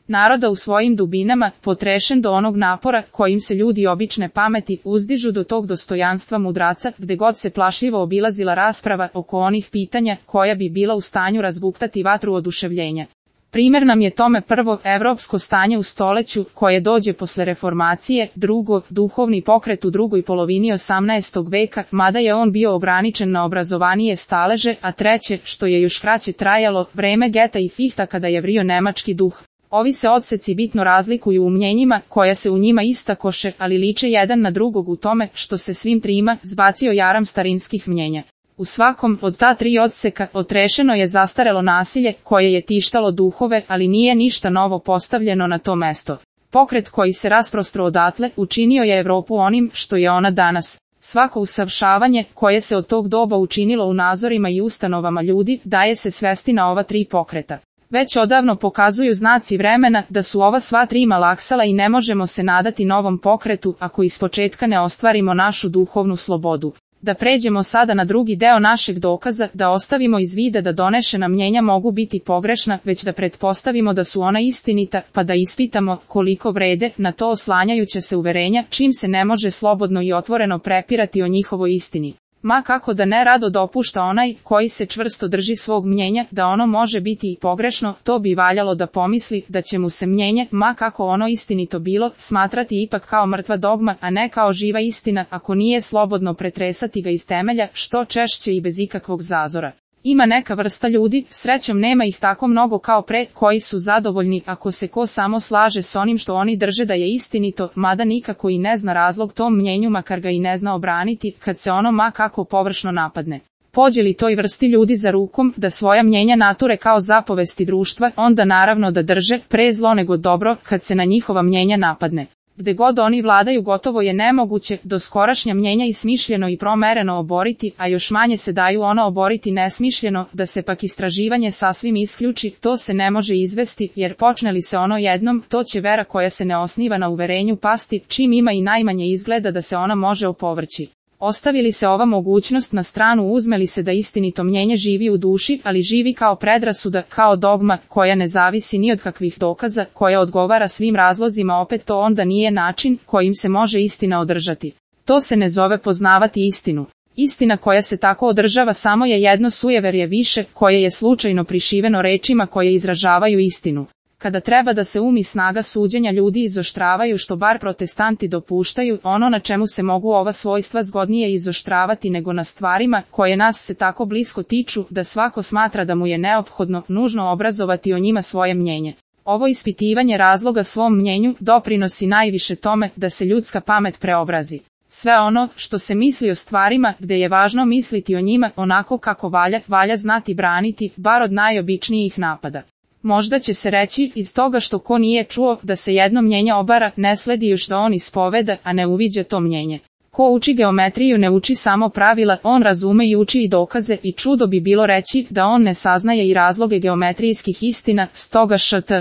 naroda u svojim dubinama, potrešen do onog napora kojim se ljudi obične pameti uzdižu do tog dostojanstva mudraca, gde god se plašljivo obilazila rasprava oko onih pitanja koja bi bila u stanju razbuktati vatru oduševljenja. Primer nam je tome prvo evropsko stanje u stoleću, koje dođe posle reformacije, drugo, duhovni pokret u drugoj polovini 18. veka, mada je on bio ograničen na obrazovanije staleže, a treće, što je još kraće trajalo, vreme Geta i Fihta kada je vrio nemački duh. Ovi se odseci bitno razlikuju u mnjenjima, koja se u njima istakoše, ali liče jedan na drugog u tome, što se svim trima zbacio jaram starinskih mnjenja. U svakom od ta tri odseka otrešeno je zastarelo nasilje, koje je tištalo duhove, ali nije ništa novo postavljeno na to mesto. Pokret koji se rasprostro odatle, učinio je Evropu onim što je ona danas. Svako usavršavanje, koje se od tog doba učinilo u nazorima i ustanovama ljudi, daje se svesti na ova tri pokreta. Već odavno pokazuju znaci vremena da su ova sva tri malaksala i ne možemo se nadati novom pokretu ako ispočetka ne ostvarimo našu duhovnu slobodu. Da pređemo sada na drugi deo našeg dokaza, da ostavimo iz vida da donešena mnjenja mogu biti pogrešna, već da pretpostavimo da su ona istinita, pa da ispitamo koliko vrede, na to oslanjajuće se uverenja, čim se ne može slobodno i otvoreno prepirati o njihovoj istini. Ma kako da ne rado dopušta onaj koji se čvrsto drži svog mnjenja da ono može biti i pogrešno, to bi valjalo da pomisli da će mu se mnjenje, ma kako ono istinito bilo, smatrati ipak kao mrtva dogma, a ne kao živa istina, ako nije slobodno pretresati ga iz temelja, što češće i bez ikakvog zazora. Ima neka vrsta ljudi, srećom nema ih tako mnogo kao pre, koji su zadovoljni ako se ko samo slaže s onim što oni drže da je istinito, mada nikako i ne zna razlog tom mnjenju, makar ga i ne zna obraniti, kad se ono ma kako površno napadne. Pođe li toj vrsti ljudi za rukom da svoja mnjenja nature kao zapovesti društva, onda naravno da drže pre zlo nego dobro kad se na njihova mnjenja napadne. Gde god oni vladaju gotovo je nemoguće doskorašnja mnjenja i smišljeno i promereno oboriti, a još manje se daju ona oboriti nesmišljeno, da se pak istraživanje sasvim isključi, to se ne može izvesti, jer počne li se ono jednom, to će vera koja se ne osniva na uverenju pasti, čim ima i najmanje izgleda da se ona može opovrći. Ostavi li se ova mogućnost na stranu, uzme li se da istinito mnjenje živi u duši, ali živi kao predrasuda, kao dogma, koja ne zavisi ni od kakvih dokaza, koja odgovara svim razlozima, opet to onda nije način kojim se može istina održati. To se ne zove poznavati istinu. Istina koja se tako održava samo je jedno sujeverje više, koje je slučajno prišiveno rečima koje izražavaju istinu. Kada treba da se i snaga suđenja ljudi izoštravaju, što bar protestanti dopuštaju, ono na čemu se mogu ova svojstva zgodnije izoštravati nego na stvarima koje nas se tako blisko tiču, da svako smatra da mu je neophodno, nužno obrazovati o njima svoje mnjenje. Ovo ispitivanje razloga svom mnjenju doprinosi najviše tome da se ljudska pamet preobrazi. Sve ono što se misli o stvarima, gde je važno misliti o njima onako kako valja znati braniti, bar od najobičnijih napada. Možda će se reći, iz toga što ko nije čuo da se jedno mnjenje obara, ne sledi još da on ispoveda, a ne uviđa to mnjenje. Ko uči geometriju ne uči samo pravila, on razume i uči i dokaze, i čudo bi bilo reći da on ne saznaje i razloge geometrijskih istina, stoga št.